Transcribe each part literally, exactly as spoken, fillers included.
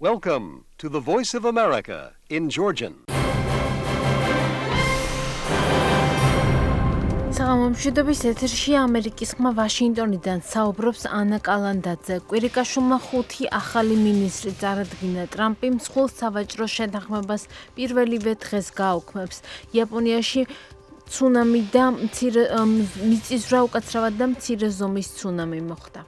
Welcome to the Voice of America in Georgian. საღამომშვიდობის ეთერში ამერიკის ხმა ვაშინგტონიდან საუბრობს ანა კალანდაძე. კვირიკაშვილმა ხუთი ახალი მინისტრი წარადგინა. ტრამპი მსხვილ სავაჭრო შეთანხმებას პირველივე დღეს გააუქმებს. იაპონიაში ცუნამი და მცირე მიწისძვრა უკაცრავად და მცირე ზომის ცუნამი მოხდა.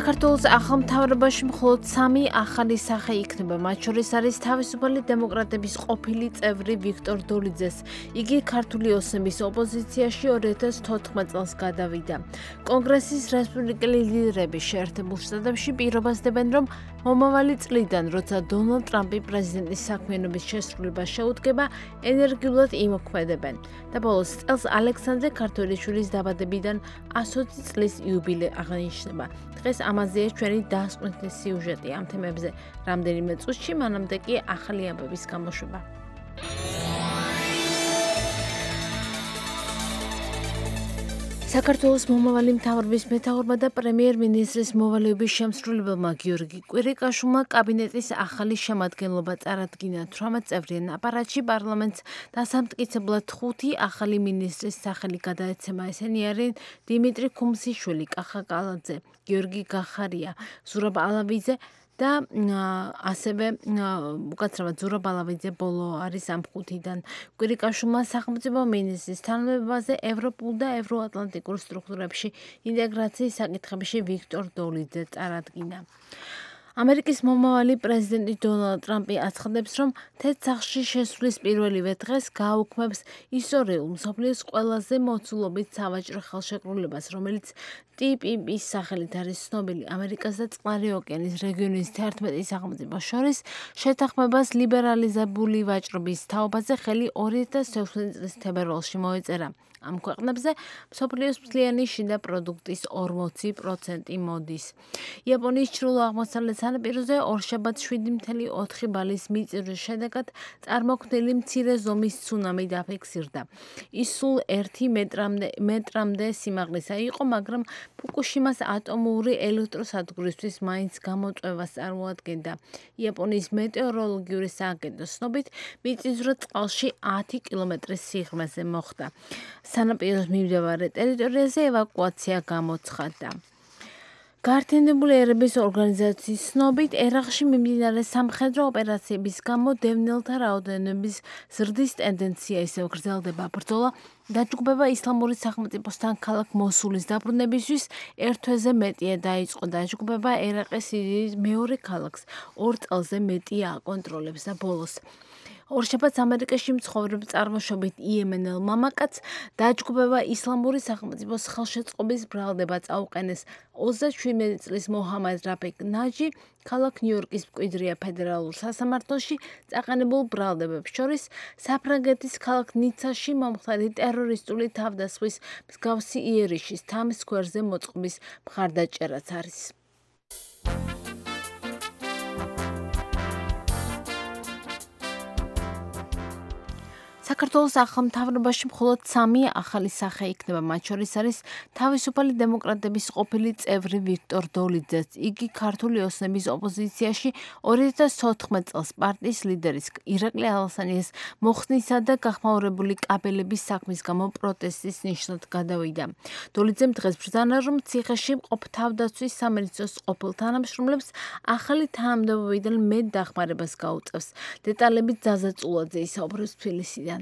საქართველოს ახალ მთავრობაში მხოლოდ სამი ახალი სახე იქნება. მათ შორის არის თავისუფალი დემოკრატების ყოფილი წევრი ვიქტორ დოლიძეს. იგი ქართული ოსნების ოპოზიციაში ორი ათას თოთხმეტ წელს გადავიდა. კონგრესის რესპუბლიკელი ლიდერები შეერთებულ შტატებში პირობას დებენ, რომ მომავალი წლიდან, როცა დონალდ ტრამპი პრეზიდენტის საქმიანობის შესრულებას შეუდგება, ენერგიულად იმოქმედებენ. და ბოლოს წელს ალექსანდრე ქართველიშვილის დაბადებიდან ასოცი წლის იუბილე აღინიშნება. დღეს ამაზეა ჩვენი დასკვნითი სიუჟეტი ამ თემებზე რამდენიმე წუთში, მანამდე კი ახალი ამბების გამოშვება. საქართველოს მომავალი მთავრობის მეთაურმა და პრემიერ-მინისტრის მოვალეობის შემსრულებელმა გიორგი კვირიკაშვილმა კაბინეტის ახალი შემადგენლობა წარადგინა. თვრამეტ წევრიან აპარატში პარლამენტს დასამტკიცებლად ხუთი ახალი მინისტრის სახელი გადაეცემა. ესენი არიან დიმიტრი ქუმსიშვილი, კახა კალაძე, გიორგი გახარია, ზურაბ ალავიძე და ასევე უკაცრავად ზურაბ ალავიძე ბოლო არის ამ ხუთიდან. კვირიკაშვილმა სახელმწიფო მინისტრის თანამდებობაზე ევროპულ და ევროატლანტიკურ სტრუქტურებში ინტეგრაციის საკითხებში ვიქტორ დოლიძე წარადგინა. ამერიკის მომავალი პრეზიდენტი დონალდ ტრამპი აცხადებს, რომ თეთრ სახლში შესვლის პირველივე დღეს გააუქმებს ისტორიულ მსოფლიოს ყველაზე მოცულობით სავაჭრო ხელშეკრულებას, რომელიც ტი პი პის სახელით არის ცნობილი. ამერიკას და წყნარი ოკეანის რეგიონის თერთმეტ სახელმწიფოს შორის შეთანხმებას ლიბერალიზებული ვაჭრობის თაობაზე ხელი ორი ათას ექვსმეტ წლის თებერვალში მოეწერა. ამ ქვეყნებზე მსოფლიოს მთლიანი შიდა პროდუქტის ორმოცი პროცენტი მოდის. იაპონიის ჩრდილო-აღმოსავლეთ სანაპიროზე ორშაბათს შვიდი ფاصლე ოთხი ბალის მიწისძვრის შედეგად წარმოქმნილი მცირე ზომის ცუნამი დაფიქსირდა. ის სულ ერთი მეტრამდე სიმაღლისა იყო, მაგრამ ფუკუშიმას ატომური ელექტროსადგურისთვის მაინც გამოწვევას წარმოადგენდა. იაპონიის მეტეოროლოგიური სააგენტოს ცნობით, მიწისძვრა წყალში ათი კილომეტრის სიღრმეზე მოხდა. სანაპიროს მიმდებარე ტერიტორიაზე ევაკუაცია გამოცხადდა. გაერთიანებული ერების ორგანიზაციის ცნობით, ერაყში მიმდინარე სამხედრო ოპერაციების გამო დევნილთა რაოდენობის ზრდის ტენდენცია ისევ გრძელდება. ბრძოლა დაჯგუფება ისლამური სახელმწიფოსთან ქალაქ მოსულის დაბრუნებისთვის ერთ თვეზე მეტია დაიწყო. დაჯგუფება ერაყის სირიის მეორე ქალაქს ორ წელზე მეტია აკონტროლებს და ბოლოს ორშაბათს ამერიკაში მცხოვრებ წარმოშობით იემენელ მამაკაცს დაჯგუფება ისლამური სახელმწიფოს ხელშეწყობის ბრალდება წაუყენეს. ოცდაშვიდ წლის მოჰამედ რაფიკ ნაჯი ქალაქ ნიუ-იორკის მკვიდრია ფედერალურ სასამართლოში წაყენებულ ბრალდებებს შორის საფრანგეთის ქალაქ ნიცაში მომხდარი ტერორისტული თავდასხმის მსგავსი იერიშის თამის სკვერზე მოწყობის მხარდაჭერაც არის. საქართველოს ახალ მთავრობაში მხოლოდ სამი ახალი სახე იქნება. მათ შორის არის თავისუფალი დემოკრატების ყოფილი წევრი ვიქტორ დოლიძე. იგი ქართული ოსნების ოპოზიციაში ორი ათას თოთხმეტ წელს პარტიის ლიდერის ირაკლი ალასანიას მოხსნისა და გახმაურებული კაბელების საქმის გამო პროტესტის ნიშნად გადავიდა. დოლიძემ დღეს ბრძანა, რომ ციხეში მყოფ თავდაცვის სამინისტროს ყოფილ თანამშრომლებს ახალი თანამდებობიდან მეტ დახმარებას გაუწევს. დეტალებით ზაზა წულაძე ისაუბრებს თბილისიდან.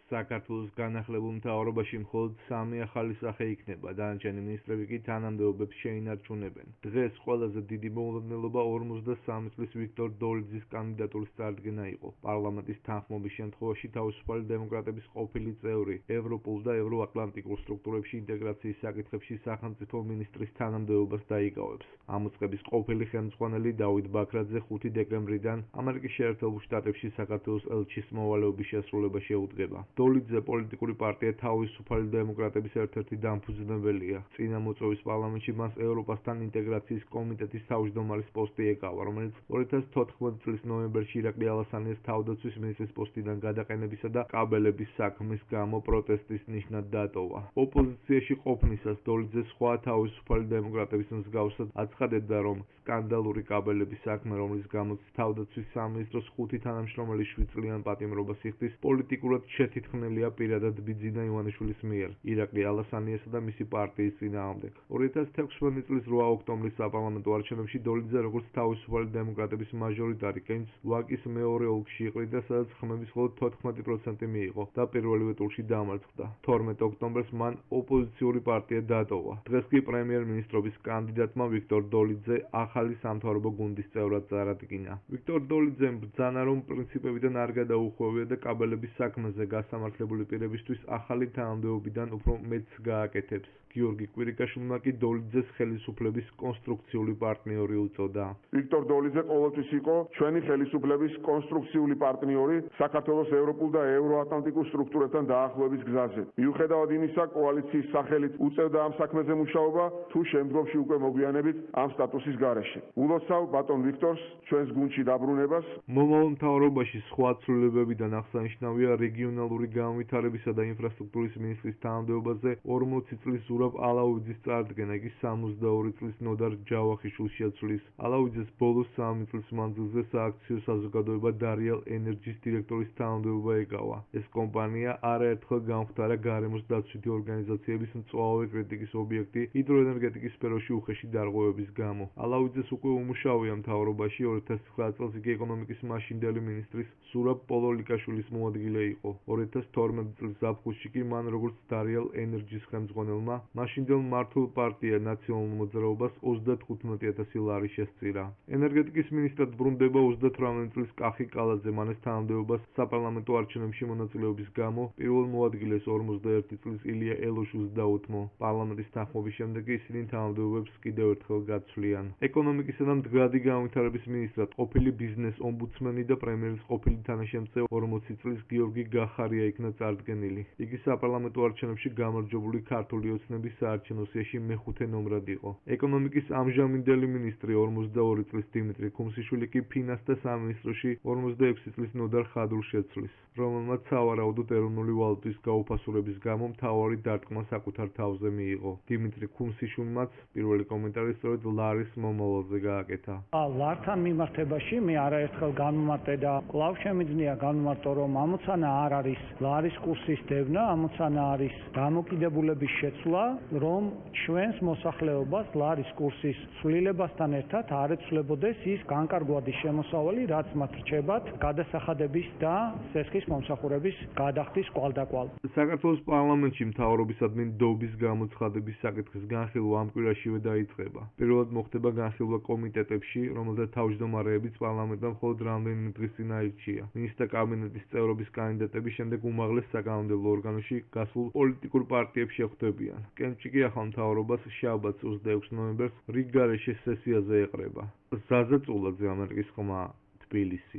საქართველოს განახლებულ მთავრობაში მხოლოდ სამი ახალი სახე იქნება. დანარჩენი მინისტრები კი თანამდებობებს შეინარჩუნებენ. დღეს ყველაზე დიდი მოულოდნელობა ორმოცდასამი წლის ვიქტორ დოლიძის კანდიდატურის წარდგენა იყო. პარლამენტის თანხმობის შემთხვევაში თავისუფალი დემოკრატების ყოფილი წევრი ევროპულ და ევროატლანტიკურ სტრუქტურებში ინტეგრაციის საკითხებში სახელმწიფო მინისტრის თანამდებობას დაიკავებს. ამ უწყების ყოფილი ხელმძღვანელი დავით ბაქრაძე ხუთი დეკემბრიდან ამერიკის შეერთებულ შტატებში საქართველოს ელჩის მოვალეობის შესრულება შეუდგება. დოლიძე პოლიტიკური პარტია თავისუფალი დემოკრატების ერთ-ერთი დამფუძნებელია. წინა მოწვევის პარლამენტში მას ევროპასთან ინტეგრაციის კომიტეტის თავმჯდომარის პოსტი ეკავა, რომელიც ორი ათას თოთხმეტი წლის ნოემბერში ირაკლი ალასანიას თავდაცვის მინისტრის პოსტიდან გადაყენებისა და კაბელების საქმის გამო პროტესტის ნიშნად დატოვა. ოპოზიციაში ყოფნისას დოლიძე სხვა თავისუფალი დემოკრატების მსგავსად აცხადებდა, რომ სკანდალური კაბელების საქმე, რომლის გამოც თავდაცვის სამინისტროს ხუთი თანამშრომელი შვიდ წლიან პატიმრობას იხდის, პოლიტიკურად შეთითხნელია პირადად ბიძინა ივანიშვილის მიერ, ირაკლი ალასანიასა და მისი პარტიის წინააღმდეგ. ორი ათას თექვსმეტი წლის რვა ოქტომბრის საპარლამენტო არჩევნებში დოლიძე როგორც თავისუფალი დემოკრატების მაჟორიტარი კენჭს ვაკის მეორე ოლქში იყრიდა, სადაც ხმების მხოლოდ თოთხმეტი პროცენტი მიიღო და პირველივე ტურში დამარცხდა. თორმეტ ოქტომბერს მან ოპოზიციური პარტია დატოვა. დღეს კი პრემიერ-მინისტრობის კანდიდატმა ვიქტორ დოლიძე ახალი სამთავრობო გუნდის წევრად წარადგინა. ვიქტორ დოლიძემ ბრძანა, რომ პრინციპებიდან არ გადაუხვევია და კაბელების საქმეზე გასამართლებული პირებისთვის ახალი თანამდებობიდან უფრო მეტს გააკეთებს. გიორგი კვირიკაშვილმა კი დოლიძეს ხელისუფლების კონსტრუქციული პარტნიორი უწოდა. ვიქტორ დოლიძე ყოველთვის იყო ჩვენი ხელისუფლების კონსტრუქციული პარტნიორი საქართველოს ევროპულ და ევროატლანტიკურ სტრუქტურებთან დაახლოების გზაზე. მიუხედავად იმისა, კოალიციის სახელით უწევდა ამ საქმეზე მუშაობა, თუ შემდგომში უკვე მოგვიანებით ამ სტატუსის გარეშე. ულოცავ ბატონ ვიქტორს ჩვენს გუნდში დაბრუნებას. მომავალ მთავრობაში სხვა ცვლილებებიდან აღსანიშნავია რეგიონალური განვითარებისა და ინფრასტრუქტურის მინისტრის თანამდებობაზე ორმოცი წლის ზურაბ ალაუიძის წარდგენა, იგი სამოცდაორი წლის ნოდარ ჯავახიშვილს შეცვლის. ალაუიძეს ბოლოს სამი წლის მანძილზე სააქციო საზოგადოება დარიალ ენერჯის დირექტორის თანამდებობა ეკავა. ეს კომპანია არაერთხელ გამხდარა გარემოს დაცვითი ორგანიზაციების მწვავე კრიტიკის ობიექტი ჰიდროენერგეტიკის სფეროში უხეში დარღვევების გამო. ალაუიძეს უკვე უმუშავია მთავრობაში, ორი ათას ცხრა წელს იგი ეკონომიკის მაშინდელი მინისტრის ზურაბ პოლოლიკაშვილის მოადგილე იყო. ორი ათას თორმეტი წლის ზაფხულში კი მან როგორც დარიალ ენერჯის ხელმძღვანელმა მაშინდელ მართულ პარტია ნაციონალურ მოძრაობას ოცდათხუთმეტი ათასი ლარი შესწირა. ენერგეტიკის მინისტრად ბრუნდება ოცდათვრამეტი წლის კახი კალაძე, მან ეს თანამდებობას საპარლამენტო არჩევნებში მონაწილეობის გამო პირველ მოადგილეს ორმოცდაერთი წლის ილია ელოშუს დაუთმო. პარლამენტის თანხმობის შემდეგ ისინი თანამდებობებს კიდევ ერთხელ გაცვლიან. ეკონომიკისა და მდგრადი განვითარების მინისტრად ყოფილი ბიზნეს ომბუდსმენი და პრემიერის ყოფილი თანაშემწე ორმოცი წლის გიორგი გახარია იქნა წარდგენილი. იგი საპარლამენტო არჩევნებში გამარჯვებული ქართული ოცნების საარჩევნო სიაში მეხუთე ნომრად იყო. ეკონომიკის ამჟამინდელი მინისტრი ორმოცდაორი წლის დიმიტრი ქუმსიშვილი კი ფინანსთა სამინისტროში ორმოცდაექვსი წლის ნოდარ ხადრულს შეცვლის, რომელმაც სავარაუდოდ ეროვნული ვალუტის გაუფასურების გამო მთავარი დარტყმა საკუთარ თავზე მიიღო. დიმიტრი ქუმსიშვილმაც პირველი კომენტარი სწორედ ლარის მომავალზე გააკეთა. ლართან მიმართებაში მე არაერთხელ განმარტე და კვლავ შემიძლია განმარტო, რომ ამოცანა არ არის ლარის კურსის დევნა, ამოცანა არის დამოკიდებულების შეცვლა, რომ ჩვენს მოსახლეობას ლარის კურსის ცვლილებასთან ერთად არ ეცვლებოდეს ის განკარგვადი შემოსავალი, რაც მათ რჩებათ გადასახადების და სესხის მომსახურების გადახდის კვალდაკვალ. საქართველოს პარლამენტში მთავრობისადმი დობის გამოცხადების საკითხის განხილვა ამ კვირაშივე დაიწყება. პირველად მოხდება განხილვა კომიტეტებში, რომელთა თავმჯდომარეებიც პარლამენტმა მხოლოდ რამდენიმე დღის წინ აირჩია. მინისტრთა კაბინეტის წევრობის კანდიდატები შემდეგ უმაღლეს საკანონმდებლო ორგანოში გასულ პოლიტიკურ პარტიებში ხვდებიან. კენჭი კი ახალ მთავრობას შაბათს ოცდაექვსი ნოემბერს რიგგარეშე სესიაზე ეყრება. ზაზა წულაძე, ამერიკის ხმა, თბილისი.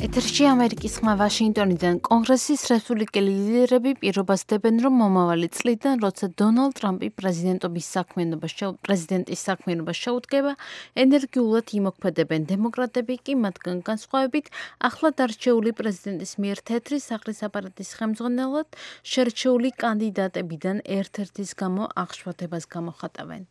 ეთერში ამერიკის ხმა ვაშინგტონიდან. კონგრესის რესპუბლიკელი ლიდერები პირობას დებენ, რომ მომავალი წლიდან, როცა დონალდ ტრამპი პრეზიდენტობის პრეზიდენტის საქმიანობას შეუდგება, ენერგიულად იმოქმედებენ. დემოკრატები კი მათგან განსხვავებით ახლად არჩეული პრეზიდენტის მიერ თეთრი სახლის აპარატის ხელმძღვანელად შერჩეული კანდიდატებიდან ერთ-ერთის გამო აღშფოთებას გამოხატავენ.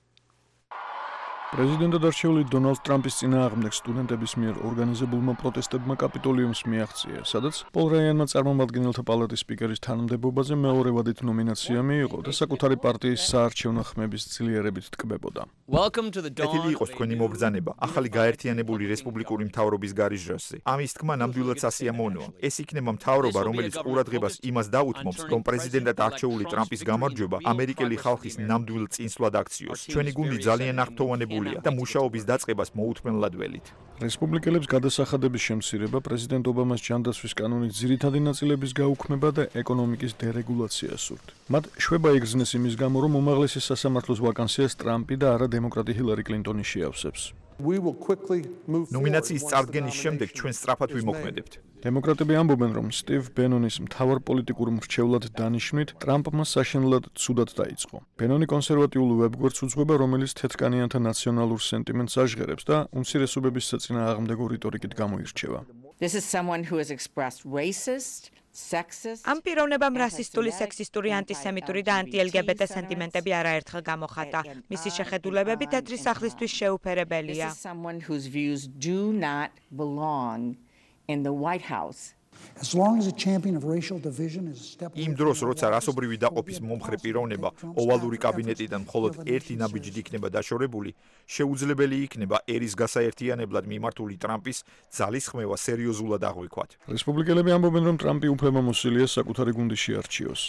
პრეზიდენტად არჩეული დონალდ ტრამპის წინააღმდეგ სტუდენტების მიერ ორგანიზებულმა პროტესტებმა კაპიტოლიუმს მიაღწია, სადაც პოლ რაიანმა წარმომადგენელთა პალატის სპიკერის თანამდებობაზე მეორე ვადით ნომინაცია მიიღო და საკუთარი პარტიის საარჩევნო ხმების ძლიერებით ტკბებოდა. ეთილი იყოს თქვენი მობრძანება ახალი გაერთიანებული რესპუბლიკური მთავრობის გარიჟრასზე. ამის თქმა ნამდვილად სასიამოვნოა. ეს იქნება მთავრობა, რომელიც ყურადღებას იმას დაუთმობს, რომ პრეზიდენტად არჩეული ტრამპის გამარჯვება ამერიკელი ხალხის ნამდვილ წინსვლად აქციოს. ჩვენი გუნდი ძალიან აღფრთოვანებული და მუშაობის დაწყებას მოუთმენლად ველით. რესპუბლიკელებს გადასახადების შემცირება, პრეზიდენტ ობამას ჯანდაცვის კანონის ძირითადი ნაწილების გაუქმება და ეკონომიკის დერეგულაცია სურთ. მათ შვება იგრძნეს იმის გამო, რომ უმაღლესი სასამართლოს ვაკანსიას ტრამპი და არა დემოკრატი ჰილარი კლინტონი შეავსებს. ნომინაციის წარდგენის შემდეგ ჩვენ სწრაფად ვიმოქმედებთ. დემოკრატები ამბობენ, რომ სტივ ბენონის მთავარ პოლიტიკურ მრჩევლად დანიშვნით ტრამპმა საშინლად ცუდად დაიწყო. ბენონი კონსერვატიულ ვებგვერდს უძღვება, რომელიც თეთრკანიანთა ნაციონალურ სენტიმენტს აჟღერებს და უმცირესობების საწინააღმდეგო რიტორიკით გამოირჩევა. This is someone who has expressed racist, sexist. ამ პიროვნებამ რასისტული, სექსისტური, ანტისემიტური და ანტი-ელ-გი-ბე-ტე სენტიმენტები არაერთხელ გამოხატა. მისი შეხედულებები თეთრი სახლისთვის შეუფერებელია. This is someone whose views do not belong in the White House. As long as a champion of racial division is a step იმ დროს, როცა რასობრივი დაყოფის მომხრე პიროვნება ოვალური კაბინეტიდან მხოლოდ ერთი ნაბიჯით იქნება დაშორებული, შეუძლებელი იქნება ერის გასაერთიანებლად მიმართული ტრამპის ძალისხმევა სერიოზულად აღვიქვათ. რესპუბლიკელები ამბობენ, რომ ტრამპი უფლებამოსილია საკუთარი გუნდის შეარჩიოს.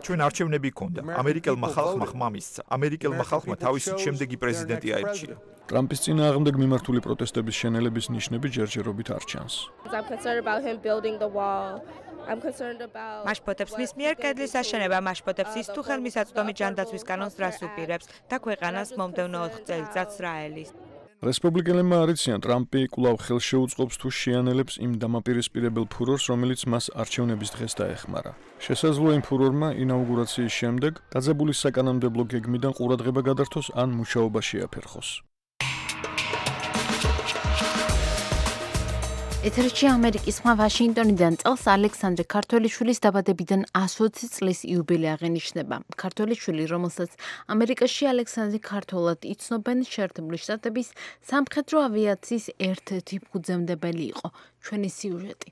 ჩვენ არჩევნები გქონდა. ამერიკელმა ხალხმა ხმა მისცა. ამერიკელმა ხალხმა თავისი შემდეგი პრეზიდენტი აირჩია. ტრამპის წინააღმდეგ მიმართული პროტესტების შენელების ნიშნები ჯერჯერობით არ ჩანს. მაშპოტებს მის მიერ კედლის აშენება, მაშპოტებს ის თუ ხელმისაწვდომი ჯანდაცვის კანონს რას უპირებს და ქვეყანას მომდევნო ოთხ წელიწადს რა ელის. რესპუბლიკელებმა არიციან, ტრამპი კვლავ ხელს შეუწყობს თუ შეანელებს იმ დამაპირისპირებელ ფურორს, რომელიც მას არჩევნების დღეს დაეხმარა. შესაძლოა იმ ფურორმა ინაუგურაციის შემდეგ დაძაბული საკანონმდებლო გეგმიდან ყურადღება გადართოს ან მუშაობა შეაფერხოს. ეთერში ამერიკის ხმა ვაშინგტონიდან წელს ალექსანდრე ქართველიშვილის დაბადებიდან ოცი წლის იუბილე აღენიშნება. ქართველიშვილი, რომელსაც ამერიკაში ალექსანდრე ქართველად იცნობენ, შეერთებული შტატების სამხედრო ავიაციის ერთ-ერთი ფუძემდებელი იყო. ჩვენი სიუჟეტი.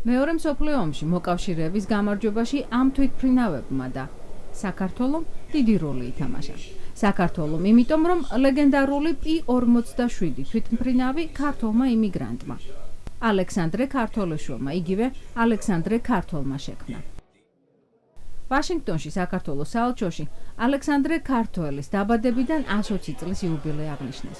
მეორე მსოფლიო ომში მოკავშირეების გამარჯვებაში ამ თვითმფრინავებმა და საქართველომ დიდი როლი ითამაშა. საქართველომ, იმიტომ რომ ლეგენდარული პი ორმოცდაშვიდი თვითმფრინავი ქართველმა იმიგრანტმა ალექსანდრე ქართველიშვილმა, იგივე ალექსანდრე ქართველმა შექმნა. ვაშინგტონში, საქართველოს საელჩოში ალექსანდრე ქართველის დაბადებიდან ოცი წლის იუბილე აღნიშნეს.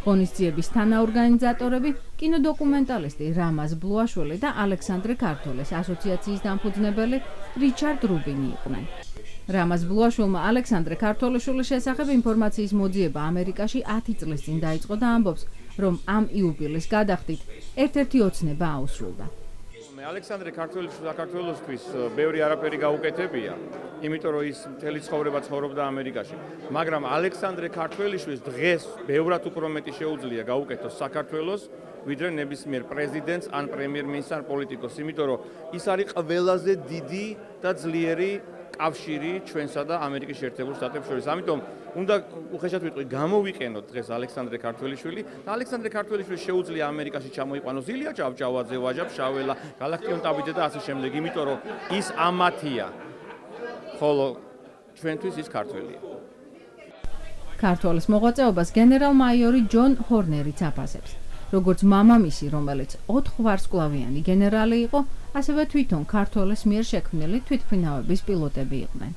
ღონისძიების თანაორგანიზატორები კინოდოკუმენტალისტი რამაზ ბლუაშვილი და ალექსანდრე ქართველის ასოციაციის დამფუძნებელი რიჩარდ რუბინი იყვნენ. რამაზ ბლუაშვილმა ალექსანდრე ქართველიშვილის შესახებ ინფორმაციის მოძიება ამერიკაში ათი წლის წინ დაიწყო და ამბობს, რომ ამ იუბილეს გადახდით ერთ-ერთი ოცნება აუსრულდა. ალექსანდრე ქართველიშვილი საქართველოსთვის ბევრი არაფერი გაუკეთებია, იმიტომ რომ ის მთელი ცხოვრება ცხოვრობდა ამერიკაში. მაგრამ ალექსანდრე ქართველიშვილს დღეს ბევრად უფრო მეტი შეუძლია გაუკეთოს საქართველოს, ვიდრე ნებისმიერ პრეზიდენტს ან პრემიერ-მინისტრს ან პოლიტიკოსს, იმიტომ რომ ის არის ყველაზე დიდი და ძლიერი კავშირი ჩვენსა და ამერიკის შეერთებულ შტატებს შორის. ამიტომ უნდა უხეშად ვიტყვი, გამოვიყენოთ დღეს ალექსანდრე ქართველიშვილი და ალექსანდრე ქართველიშვილს შეუძლია ამერიკაში ჩამოიყვანოს ილია ჭავჭავაძე, ვაჟა ფშაველა, გალაქტიონ ტაბიძე და ასე შემდეგ, იმიტომ რომ ის ამათია, ხოლო ჩვენთვის ის ქართველია. ქართველის მოღვაწეობას გენერალ-მაიორი ჯონ ჰორნერიც აფასებს. როგორც მამამისი, რომელიც ოთხ ვარსკვლავიანი გენერალი იყო, ასევე თვითონ ქართველის მიერ შექმნილი თვითმფრინავების პილოტები იყვნენ.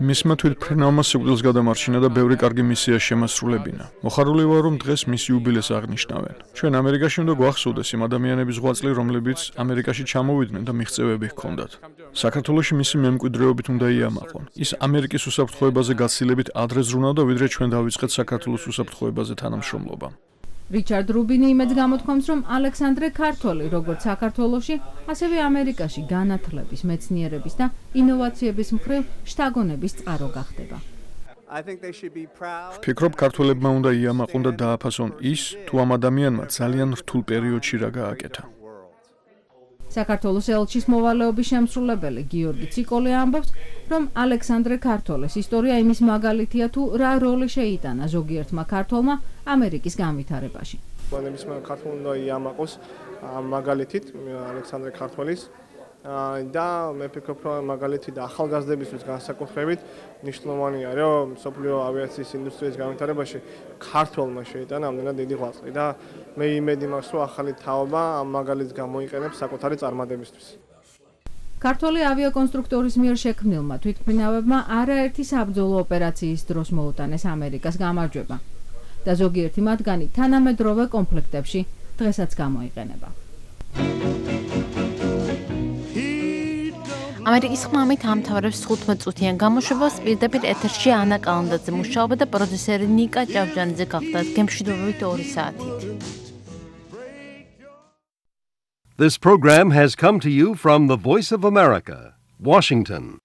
მისმა თვითმფრინავმა სიკვდილს გადამარჩინა და ბევრი კარგი მისია შემასრულებინა. მოხარული ვარ, რომ დღეს მის იუბილეს აღნიშნავენ. ჩვენ ამერიკაში უნდა გვახსოვდეს იმ ადამიანების ღვაწლი, რომლებიც ამერიკაში ჩამოვიდნენ და მიღწევები ჰქონდათ. საქართველოში მისი მემკვიდრეობით უნდა იამაყონ. ის ამერიკის უსაფრთხოებაზე გაცილებით ადრე ზრუნავდა, ვიდრე ჩვენ დავიწყეთ საქართველოს უსაფრთხოებაზე თანამშრომლობა. რიჩარდ რუბინი იმედს გამოთქვამს, რომ ალექსანდრე ქართველი, როგორც საქართველოში, ასევე ამერიკაში განათლების, მეცნიერების და ინოვაციების მხრივ შთაგონების წყარო გახდება. ვფიქრობ, ქართველებმა უნდა იამაყონ და დააფასონ ის, თუ ამ ადამიანმა ძალიან რთულ პერიოდში რა გააკეთა. საქართველოს ელჩის მოვალეობის შემსრულებელი გიორგი ციკოლე ამბობს, რომ ალექსანდრე ქართველის ისტორია იმის მაგალითია, თუ რა როლი შეიტანა ზოგიერთმა ქართველმა ამერიკის განვითარებაში. ნებისმიერ ქართველ უნდა იამაყოს მაგალითით ალექსანდრე ქართველის და მე ვფიქრობ, რომ მაგალითი და ახალგაზრდებისთვის განსაკუთრებით მნიშვნელოვანია, რომ მსოფლიო ავიაციის ინდუსტრიის განვითარებაში ქართველმა შეიტანა ამდენად დიდი ღვაწლი და მე იმედი მაქვს, რომ ახალი თაობა ამ მაგალითს გამოიყენებს საკუთარი წარმატებისთვის. ქართველი ავიაკონსტრუქტორის მიერ შექმნილმა თვითმფრინავებმა არაერთი საბრძოლო ოპერაციის დროს მოუტანეს ამერიკას გამარჯვება და ზოგიერთი მათგანი თანამედროვე კონფლიქტებში დღესაც გამოიყენება. ამერიკის ხმამით ამთავრებს თხუთმეტ-წუთიან გამოშვებას პირდაპირ ეთერში ანა კალანდაძე მუშაობა და პროდიუსერი ნიკა ჭავჭანიძე გახდათ გემშვიდობებით ორი საათით. This program has come to you from the Voice of America, Washington.